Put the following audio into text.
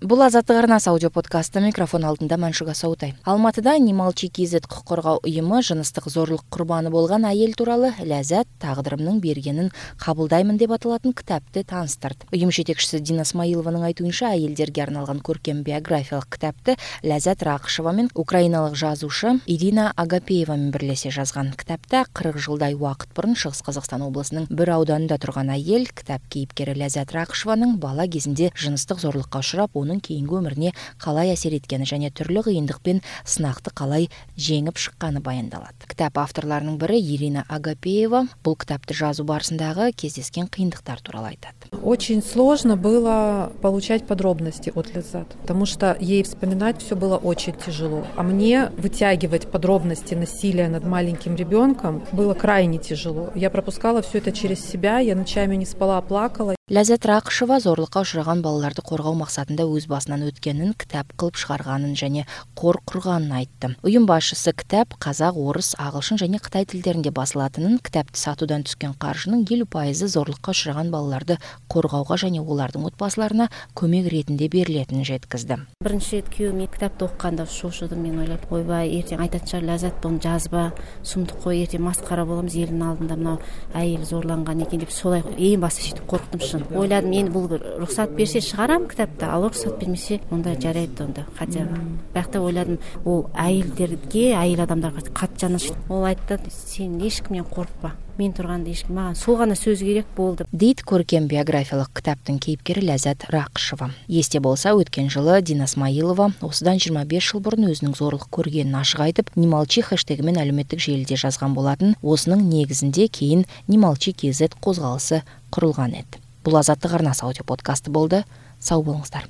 Бул Азаттык арнасы аудио подкасты, микрофон алдында Маншуга Саутай. Алматыда Немалчи КЗ укук коргоо уюму жыныстык зорлук курбаны болгон айыл тууралуу «Ләззат тагдырымдын бергенин кабылдаймын» деп аталатын китапты таныстырды. Уюм жетекчиси Дина Смаилованын айтуунча, айылдерге арналган көркем биографиялык китапты Ләззат Ракышева менен украиналык жазуучу Ирина Агапеева менен бирлесе жазган. Китапта 40 жылдай убакыт мурун Чыгыс Казакстан облусунун бир ауданында турган айыл, китап кейипкери Ләззат Ракышеванын бала кезинде жыныстык зорлукка учурап, onun keyingi өмүрүнө калай асер эткени жана түрлүү кыйындык пен сынакты калай жеңип шыкканы баяндалат. Китап авторлорунун бири Ирина Агапеева бул китапты жазуу барысындагы кездескен кыйындыктар тууралуу айтат. Очень сложно было получать подробности от Ләззат, потому что ей вспоминать все было очень тяжело. А мне вытягивать подробности насилия над маленьким ребенком было крайне тяжело. Я пропускала все это через себя, я ночами не спала, плакала. Ләззат Ракышева зорлукка учураган балаларды коргоо максатында өз басынан өткөнүн китап кылып чыгарганын жана кор курганын айтты. Уюм башчысы китап казак, орус, агылшын жана кытай тилдеринде басылатынын, китапты сатуудан түскөн каржынын 50% зорлукка учураган балаларды коргоого жана олардын отбасыларына көмөк иретинде берилетинин жеткизди. Биринчи рет күйөөм китапты окуганда шошудум, мен ойлоп, ойбай, эртең айтат чар Ләззат, буну жазба, сумдук кой, эртең маскара болобуз, элдин алдында мына айыл зорланган экен деп, солай эң башта ишитип корктум. Ойладым, мен бул уруксат берсе чыгарам китапты, ал уруксат бермесе онда жарайт онда. Хотя бакта ойладым, ол айылдерге, айыл адамдарга кат жаныш. Ол айтты, сен эчкимден коркпа. Мен турганда эчким, мага сол гана сөз керек болду. Дейт көркем биографиялык китаптын кейипкери Ләззат Ракышева. Эсте болсо, өткөн жылы Дина Смаилова осудан 25 жыл мурун өзүнүн зорлук көргөнүн ашык айтып, Немалчи хэштеги менен алюметтик желиде жазган болатын. Осунун негизинде кийин Немалчи КЗ козголуусу курулган эди. Бул Азаттык арнасы аудио подкасты болду. Сау болуңуздар.